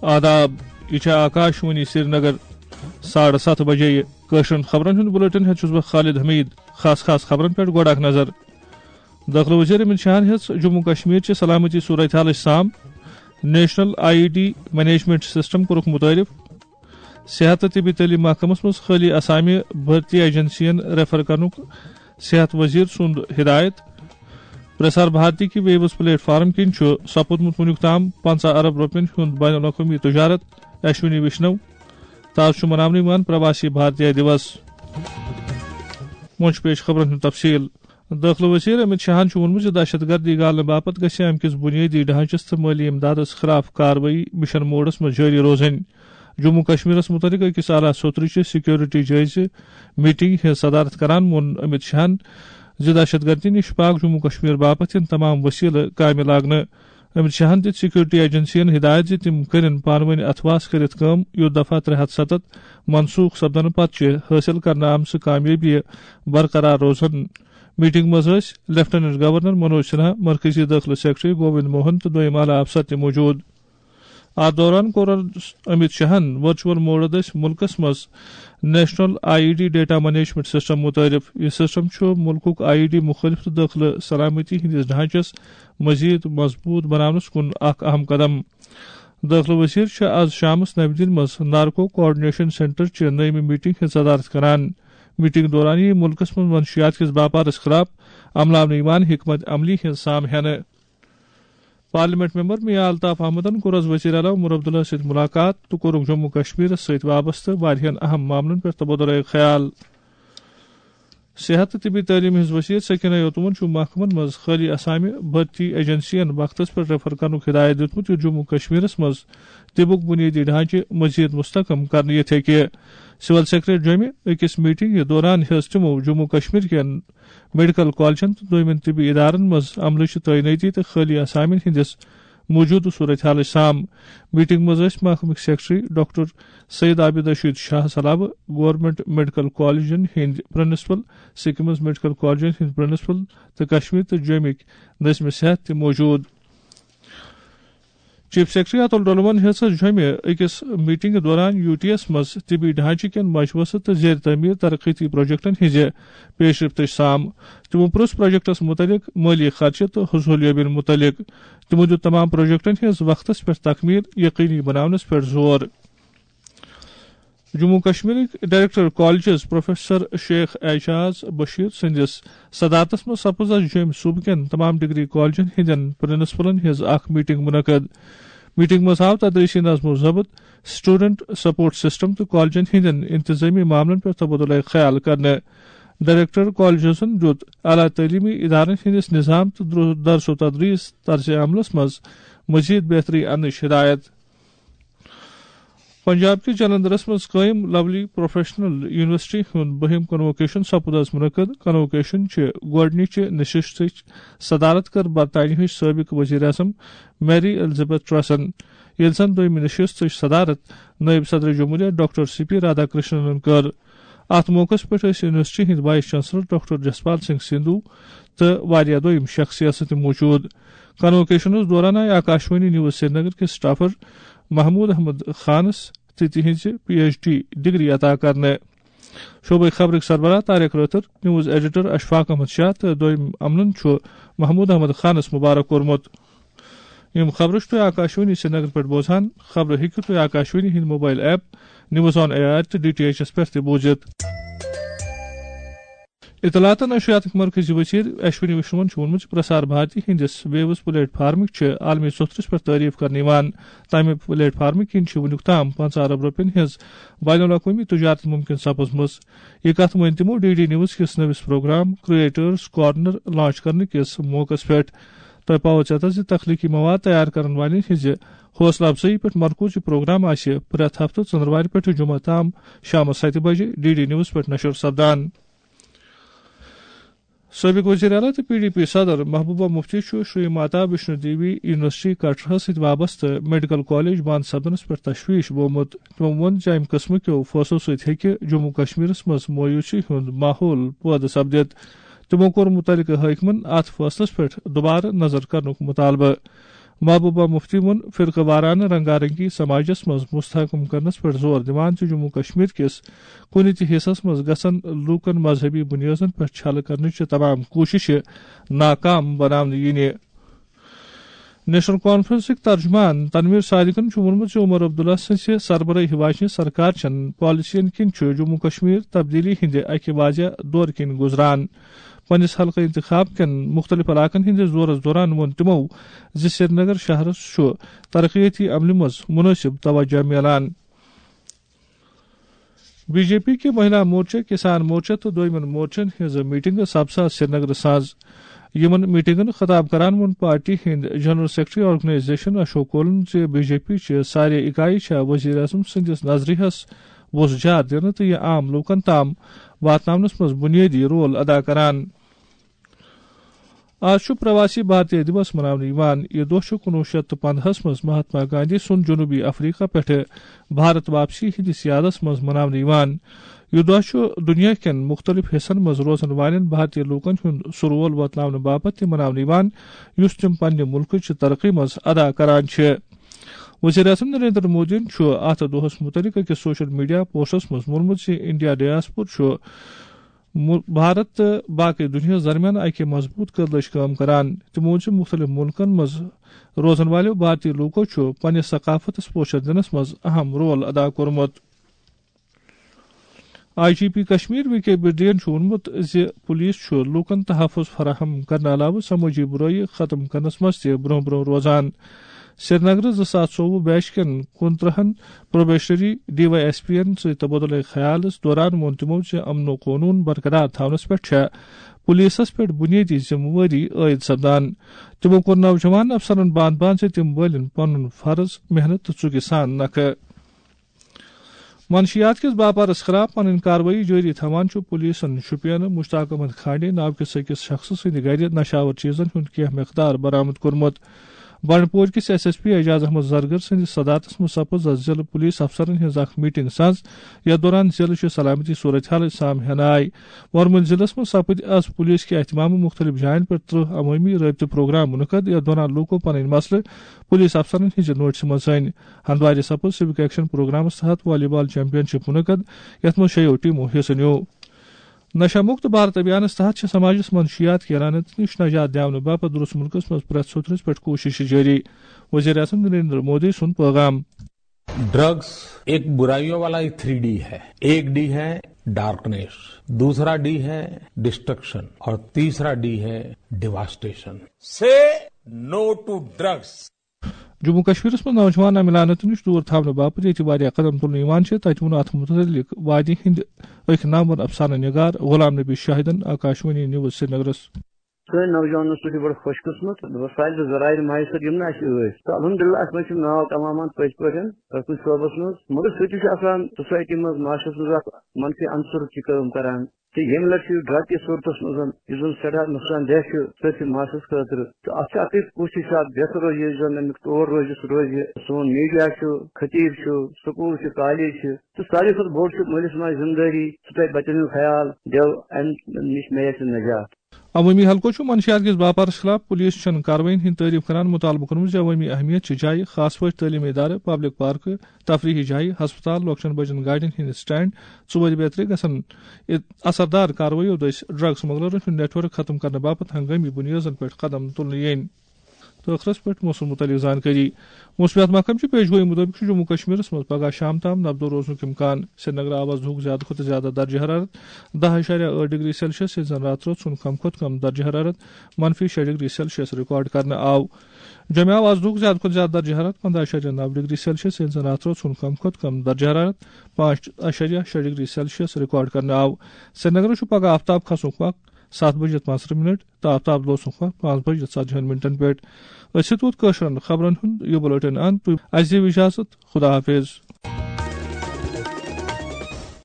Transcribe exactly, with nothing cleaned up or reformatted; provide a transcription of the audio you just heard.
آداب، یہِ چھےٚ آکاشوانی سرینگر۔ ساڑٕ ستھ بجے یہِ کٲشرٮ۪ن خبرن ہُنٛد بُلیٹن ہٮ۪تھ چھُس بہٕ خالد حمید۔ خاص خاص خبرن پٮ۪ٹھ گۄڈٕ اکھ نظر۔ دٲخلہٕ وزیر امت شاہن ہیٚژ جموں کشمیر چہِ سلامتی صورتحالٕچ سام۔ National I E D management system کوٚرُکھ متعارف۔ صحت تہٕ طبی تعلیٖم محکمس منٛز خٲلی اسامہِ بھرتی ایجنسین ریفر کرنُک صحت وزیر سُنٛد ہدایت۔ پرسار بھارتی کہِ ویوز پلیٹ فارم کِنۍ چھُ سپُدمُت وُنیُک تام پنٛژاہ ارب رۄپین ہُنٛد بین الاقوٲمی تجارت۔ اشونی وشنو۔ تاز چھُ مناونہٕ یِوان پرواسی بھارتیہ دیوس۔ وۄنۍ چھُ پیش خبرن ہُنٛد تفصیل۔ دٲخلہٕ وزیر امت شاہن چھُ ووٚنمُت زِ دہشت گردی گالنہٕ باپتھ گژھِ امہِ کِس بُنیٲدی ڈھانچس تہٕ مٲلی امدادس خلاف کاروٲیی مشن موڈس منٛز جٲری روزٕنۍ۔ جموں کشمیرس متعلق أکِس اعلیٰ سوٚترٕ چہِ سیکورٹی جٲیزٕ میٹنگ ہٕنٛز صدارت کران ووٚن امت شاہن زِ دہشت گردی نِش پاک جموں کشمیر باپتھ یِن تمام وسیلہٕ کامہِ لاگنہٕ۔ امت شاہن دِژ سیکورٹی ایجنسین ہدایت زِ تِم کٔرِن پانہٕ ؤنۍ اتھواس کٔرِتھ کٲم، یُتھ دفعہ ترٛےٚ ہتھ ستتھ منسوخ سپدنہٕ پتہٕ چھِ حٲصِل کرنہٕ آمژٕ کامیٲبی برقرار روزن۔ میٹنگ منٛز ٲسۍ لیفٹیننٹ گورنر منوج سنہا، مرکزی دٲخلہٕ سیکرٹری گووند موہن تہٕ دویم اعلیٰ افسر تہِ موجود۔ اتھ دوران کوٚر امت شاہن ورچوئل موڈ دٔسۍ مُلکس منٛز national I E D data management system متعارف۔ یہِ سسٹم چھُ مُلکُک آئی ای ڈی مُخٲلف تہٕ دٲخلہٕ سلامتی ہٕنٛدِس ڈھانچس مزید مضبوط بناونس کُن اکھ اہم قدم۔ دٲخلہٕ وزیر چھِ آز شامس نَوِ دِلہِ منٛز نارکو کوآرڈینیشن سینٹر چہِ نٔیمہِ میٹنگ ہٕنٛز صدارت کران۔ میٹنگ دوران یِیہِ مُلکس منٛز منشیات کِس باپارس خلاف عملاونہٕ یِوان حکمت عملی ہٕنٛز سام ہینہٕ۔ پارلیمنٹ ممبر میاں الطاف احمدن کوٚر از وزیر اعلیٰ عمر عبداللہ سۭتۍ ملاقات تہٕ کوٚرُکھ جموں کشمیرس سۭتۍ وابستہٕ واریاہن اہم معاملن پٮ۪ٹھ تبادلہ خیال۔ صحت تہٕ طبی تعلیٖم ہٕنٛز وزیر سکینہ یوتمن چھُ محکمن منٛز خٲلی اسامہِ بھرتی ایجنسین وقتس پٮ۪ٹھ ریفر کرنُک ہدایت دیُتمُت، یُتھ جموں کشمیرس منٛز طبُک بُنیٲدی ڈھانچہٕ مزید مستحکم کرنہٕ یِتھ ہیٚکہِ۔ سول سیکرٹریٹ جوٚمہِ أکِس میٹنگ دوران ہیٚژ تِمو جموں کشمیر کٮ۪ن میڈیکل کالجن تہٕ دوٚیمٮ۪ن طبی ادارن منٛز عملٕچ تعینٲتی تہٕ خٲلی اسامین ہٕنٛدِس موجودٕ صورتحالٕچ سام۔ میٹنگ منٛز ٲسۍ محکمٕکۍ سیکرٹری ڈاکٹر سید عابد رشید شاہ سلابہٕ، گورنمنٹ میڈیکل کالجن ہٕنٛدۍ پرنسپل، سکمز میڈیکل کالجن ہٕنٛدۍ پرنسپل تہٕ کشمیر تہٕ جوٚمِکۍ نظم صحت تہِ موجود۔ چیف سیکرٹری اتل ڈولمن ہیٚژ جوٚمہِ أکِس میٹنگ دوران یو ٹی یس منٛز طبی ڈھانچہٕ کٮ۪ن مجوزٕ تہٕ زیر تعمیٖر ترقیتی پروجیکٹن ہٕنٛزِ پیش رفتٕچ سام۔ تِمو پرُژھ پروجیکٹس مُتعلق مٲلی خرچہٕ تہٕ حصولیابین مُتعلق۔ تِمو دیُت تمام پروجیکٹن ہٕنٛز وقتس پٮ۪ٹھ تکمیل یقینی بناونس پٮ۪ٹھ زور۔ جموں کشمیرٕکۍ director colleges professor Sheikh Ijaz Bashir سٕنٛدِس صدارتس منٛز سپٕز از جوٚمۍ صوبہٕ کٮ۪ن تمام ڈگری کالجن ہٕنٛدٮ۪ن پرنسپلن ہٕنٛز اکھ میٹنگ منعقد۔ میٹنگ منٛز آو تدریسی نظم و ضبط، اسٹوڈنٹ سپورٹ سسٹم تہٕ کالجن ہٕنٛدٮ۪ن انتظامی معاملن پٮ۪ٹھ تبادلہ خیال کرنہٕ۔ ڈائریکٹر کالجزن دیُت اعلیٰ تعلیمی ادارن ہٕنٛدِس نظام تہٕ درو-، درس و تدریس طرز عملس منٛز مزید بہتری اننٕچ ہدایت۔ پنجاب کِس جلندرس منٛز قٲیِم لولی پروفیشنل یونیورسٹی ہُنٛد بٔہِم کنووکیشن سپُد از منعقد۔ کنووکیشن چہِ گۄڈٕنِچہِ نشستٕچ صدارت کٔر برطانیہٕچ سٲبق وزیر اعظم میری الزبتھ ٹریسن، ییٚلہِ زن دوٚیمہِ نشستٕچ صدارت نٲیِب صدر جمہوریہ ڈاکٹر سی پی رادھا کرشننن کٔر۔ اتھ موقعس پٮ۪ٹھ ٲسۍ یونیورسٹی ہٕنٛدۍ vice chancellor doctor Jaspal Singh Sindhu تہٕ واریاہ دوٚیِم شخصیژٕ تہِ موجود۔ کنووکیشنس دوران آیہِ آکاشوانی نیوز سرینگر کِس سٹافر محمود احمد خانس تہٕ تِہنٛزِ پی ایچ ڈی ڈگری عطا کرنہٕ۔ شعبہٕ خبرٕکۍ سربراہ طارق رٲتھر، نیوز ایڈیٹر اشفاق احمد شاہ تہٕ دوٚیِم عملن چھُ محمود احمد خانس مبارک کوٚرمُت۔ یِم خبرٕ چھِو تُہۍ آکاشوانی سرینگر پٮ۪ٹھ بوزان۔ خبرٕ ہیٚکِو تُہۍ آکاشوانی ہٕنٛدِ mobile app news on A R تہٕ ڈی ٹی ایچ ایس پٮ۪ٹھ تہِ بوٗزِتھ۔ اطلاعات تہٕ نشریاتٕکۍ مرکزی وزیر اشونی وشنون چھُ ووٚنمُت زِ پرسار بھارتی ہٕنٛدِس ویوز پلیٹ فارمٕکۍ چھِ عالمی سوٚتھرِس پٮ۪ٹھ تعریف کرنہٕ یِوان۔ تَمہِ پلیٹ فارمہٕ کِنۍ چھِ وُنیُک تام پنٛژاہ ارب رۄپین ہٕنٛز بین الاقوٲمی تجارت ممکن سپٕزمٕژ۔ یہِ کتھ ؤنۍ تِمو ڈی ڈی نیوز کِس نٔوِس پروگرام کریٹرز کارنر لانچ کرنہٕ کِس موقعس پٮ۪ٹھ۔ تۄہہِ پاوو ژیتس زِ تخلیقی مواد تیار کرن والٮ۪ن ہٕنٛزِ حوصلہٕ افزٲیی پٮ۪ٹھ مرکوز یہِ پروگرام آسہِ پرٛٮ۪تھ ہفتہٕ ژٔنٛدروارِ پٮ۪ٹھٕ جمعہ تام شامس ستہِ بجہِ ڈی ڈی نیوز پٮ۪ٹھ نشر سپدان۔ سٲبق وزیر اعلیٰ تہٕ پی ڈی پی صدر محبوبہ مفتی چھُ شری ماتا ویشنو دیوی یونیورسٹی کٹرہَس سۭتۍ وابستہٕ میڈیکل کالج بند سپدنس پٮ۪ٹھ تشویش بومُت۔ تٔمۍ ووٚن زِ امہِ قٕسمہٕ کیو فٲصلو سۭتۍ ہیٚکہِ جموں کشمیرس منٛز مایوسی ہُنٛد ماحول پٲدٕ سپدِتھ۔ تِمو کوٚر مُتعلقہٕ حٲکمن اتھ فٲصلس پٮ۪ٹھ دوبارٕ نظر کرنُک مطالبہٕ۔ محبوبہ مفتی ووٚن فرقہٕ وارانہٕ رنگا رنگی سماجس منٛز مستحکم کرنس پٮ۪ٹھ زور دِوان زِ جموں کشمیر کِس کُنہِ تہِ حصس منٛز گژھن لوٗکن مذہبی بُنیٲدن پٮ۪ٹھ چھلہٕ کرنٕچہِ تمام کوٗششہٕ ناکام بناونہٕ یِنہِ۔ نیشنل کانفرنسٕکۍ ترجمان تنویر صادقن چھُ ووٚنمُت زِ عمر عبداللہ سٕنٛزِ سربراہی واجنہِ سرکار چٮ۪ن پالیسین کِنۍ چھُ جموں کشمیر تبدیلی ہٕنٛدِ اکہِ واضح دورٕ کِنۍ گُزران۔ پننِس حلقہٕ انتخاب کٮ۪ن مُختٔلِف علاقن ہٕنٛدِس دورس دوران ووٚن تِمو زِ سرینگر شہرس چھُ ترقیتی عملہِ منٛز مُنٲسِب توجہ میلان۔ بی جے پی کہِ مہیلا مورچہ، کسان مورچہ تہٕ دویمن مورچن ہٕنٛز میٹنگ سپزٕ سرینگرٕ ساز۔ یِمن میٹنگن خطاب کران ووٚن پارٹی ہٕنٛدۍ جنرل سیکرٹری آرگنائزیشن اشوک کولن زِ بی جے پی چہِ سارے اکایہِ چھےٚ وزیر اعظم سٕنٛدِس نظریہس وُژھ جار دِنہٕ تہٕ یہِ عام لوٗکن تام واتناونس منٛز بُنیٲدی رول ادا کران۔ آز چھُ پرواسی بھارتی دِوس مناونہٕ یِوان۔ یہِ دۄہ چھُ کُنوُہ شیٚتھ تہٕ پنٛداہس منٛز مہاتما گاندھی سُنٛد جنوٗبی افریقہ پٮ۪ٹھٕ بھارت واپسی ہٕنٛدِس یادس منٛز مناونہٕ یِوان۔ یہِ دۄہ چھُ دُنیا کٮ۪ن مُختٔلِف حصن منٛز روزن والٮ۪ن بھارتی لوٗکن ہُنٛد سُہ رول وۄتلاونہٕ باپتھ تہِ مناونہٕ یِوان، یُس تِم پننہِ مُلکٕچ ترقی منٛز ادا کران چھِ۔ وزیر اعظم نریندر مودیَن چھُ اَتھ دۄہَس مُتعلِق أکِس سوشل میڈیا پوسٹس منٛز ووٚنمُت زِ انڈیا ڈیاسپور چھُ مُ-، بھارت تہٕ باقٕے دُنیاہَس درمیان اَکہِ مضبوٗط کٔدلٕچ کٲم کران۔ تِمو ووٚن زِ مُختٔلِف مُلکَن منٛز روزَن والٮ۪و بھارتی لوٗکو چھُ پننِس ثقافتَس پوچھر دِنَس منٛز اہم رول ادا کوٚرمُت۔ I G P Kashmir V K بڈین چھُ ووٚنمُت زِ پولیس چھُ لوٗکَن تحفظ فراہم کرنہٕ علاوٕ سمٲجی بُرٲیی ختم کرنَس منٛز تہِ برٛونٛہہ برٛونٛہہ روزان۔ سرینگرٕ زٕ ساس ژوٚوُہ بیچ کٮ۪ن کُنترٕہن probationary D Y S P یَن سۭتۍ تبادلہ خیالَس دوران ووٚن تِمو زِ امن و قونوٗن برقرار تھاونَس پٮ۪ٹھ چھےٚ پولیسَس پٮ۪ٹھ بُنیٲدی ذمہٕ وٲری عٲید سپدان۔ تِمو کوٚر نوجوان افسرَن باندھ باندھ زِ تِم وٲلِن پنُن فرض محنت تہٕ ژُکہِ سان نکھٕ۔ منشیات کِس باپارَس خلاف پنٕنۍ کاروٲیی جٲری تھاوان چھُ پولیسَن شوپین مشتاق احمد کھانڈے ناو کِس أکِس شخصہٕ سٕنٛدِ گرِ نشاور چیزن ہُنٛد کینٛہہ مقدار برآمد کوٚرمُت۔ بنڈپور کِس S S P Ijaz Ahmad Zargar سٕنٛدِس صدارتس منٛز سپٕز از ضلعہٕ پولیس افسرن ہٕنٛز اکھ میٹنگ ساز، یتھ دوران ضلعہٕ چہِ سلامتی صورتحالٕچ سام ہینہٕ آیہِ۔ ورمُل ضلعس منٛز سپٕدۍ از پولیس کہِ اہتمامہٕ مُختٔلِف جاین پٮ۪ٹھ ترٕٛہ عوٲمی رٲبطہٕ پروگرام منعقد، یتھ دوران لوٗکو پنٕنۍ مسلہٕ پولیس افسرن ہٕنٛزِ نوٹسہِ منٛز ژٲنۍ۔ ہندوارِ سپٕز سِوک ایکشن پروگرامس تحت والی بال چیمپین شپ منعقد، یتھ منٛز شیٚیو ٹیمو حصہٕ نیوٗ۔ نشہ مکت بھارت ابھیانس تحت چھِ سماجس منٛز منشیات کہِ لعنت نِش نجات دِنہٕ باپتھ درست ملکس منٛز پرٛٮ۪تھ سوٚتھرِس پٮ۪ٹھ کوٗشش جٲری۔ وزیر اعظم نریندر مودی سُنٛد پیغام۔ ड्रग्स एक बुराइयों वाला ही थ्री डी है। एक डी है डार्कनेस, दूसरा डी है डिस्ट्रक्शन और तीसरा डी है devastation. Say no to drugs. Jammu کشمیرس منٛز نوجوان امہِ لعنتہٕ نِش دوٗر تھاونہٕ باپتھ ییٚتہِ واریاہ قدم تُلنہٕ یِوان چھِ، تَتہِ ووٚن اَتھ مُتعلِق وادی ہِنٛدۍ أکۍ نامور افسانہٕ نگار غلام نبی شاہدن آکاشوانی نیوز سرینگرس۔ سٲنۍ نوجوانن سۭتۍ چھِ بڑٕ خۄش قٕسمت، بہٕ سارِ تہٕ ذرایع میسر یِم نہٕ اَسہِ ٲسۍ۔ تہٕ الحمدللہ اَسہِ منٛز چھِ ناو تمام پٔزۍ پٲٹھۍ پرٛٮ۪تھ کُنہِ شعبس منٛز، مگر سُہ تہِ چھُ آسان سوسایٹی منٛز، معاشرس منٛز اکھ منفی عنصر تہِ کٲم کران۔ تہٕ ییٚمہِ لٹہِ چھُ ڈرگ کِس صوٗرتس منٛز یُس زن سٮ۪ٹھاہ نۄقصان دہ چھُ سٲرسٕے معاشرس خٲطرٕ۔ تہٕ اتھ چھِ اکٕے کوٗشش چھِ اتھ بہتر روزِ، یُس زن امیُک طور روزِ، سُہ روزِ سون میڈیا چھُ، خطیب چھُ، سکوٗل چھِ، کالج چھِ، تہٕ ساروی کھۄتہٕ بوٚڑ چھُ مٲلِس ماجہِ ذمہٕ دٲری، سُہ تھاوِ بچن ہُنٛد خیال، دِیو امہِ نِش میسر نجات۔ عوٲمی حلقو چھُ منشیات کِس باپارس خلاف پولیس چٮ۪ن کاروٲیین ہٕنٛز تعریف کران مطالبہٕ کوٚرمُت زِ عوٲمی اہمیت چہِ جایہِ، خاص پٲٹھۍ تعلیمی ادارٕ، پبلک پارکہٕ، تفریحی جایہِ، ہسپتال، لۄکچٮ۪ن بجن گاڑٮ۪ن ہٕنٛدۍ سٹینڈ، ژورِ بیترِ گژھن اثردار کاروٲییو دٔسۍ ڈرگ سمگلرن ہُنٛد نیٹ ورک ختم کرنہٕ باپتھ ہنگٲمی بُنیٲدن پٮ۪ٹھ قدم تُلنہٕ یِنۍ۔ تہٕ ٲخرس پٮ۪ٹھ موسم متعلق زانکٲری۔ موسمیات محکمہٕ چہِ پیش گویی مُطٲبِق چھُ جموں کشمیرس منٛز پگہہ شام تام نبدو روزنُک امکان۔ سرینگر آو از دُہُک زیادٕ کھۄتہٕ زیادٕ درجہٕ حرارت دَہ اَشاریہ ٲٹھ ڈگری سیلسیس، ییٚلہِ زن راتھ رٲژ ہُنٛد کم کھۄتہٕ کم درجہٕ حرارت منفی شےٚ ڈگری سیلسیس ریکارڈ کرنہٕ آو۔ جوٚمہِ آو از دُہُک زیادٕ کھۄتہٕ زیادٕ درجہٕ حرارت پنٛداہ اَشاریہ نَو ڈگری سیلسیس، ییٚلہِ زن راتھ رٲژ ہُنٛد کم کھۄتہٕ کم درجہٕ حرارت پانٛژھ اَشاریہ شےٚ ڈگری سیلسیس ریکارڈ کرنہٕ آو۔ سرینگرس چھُ پگہہ آفتاب کھسنُک وق ستھ بجے پانٛژترٕہ منٹ تہٕ آفتاب لوسنُک وق پانٛژھ بجے ژتجی ہن منٹن پٮ۪ٹھ۔ أسۍ چھِ تُہُنٛد کٲشرٮ۪ن خبرن ہُنٛد یہِ بُلٹن اند۔ تُہۍ اَسہِ دِیِو اجازت۔ خدا حافظ۔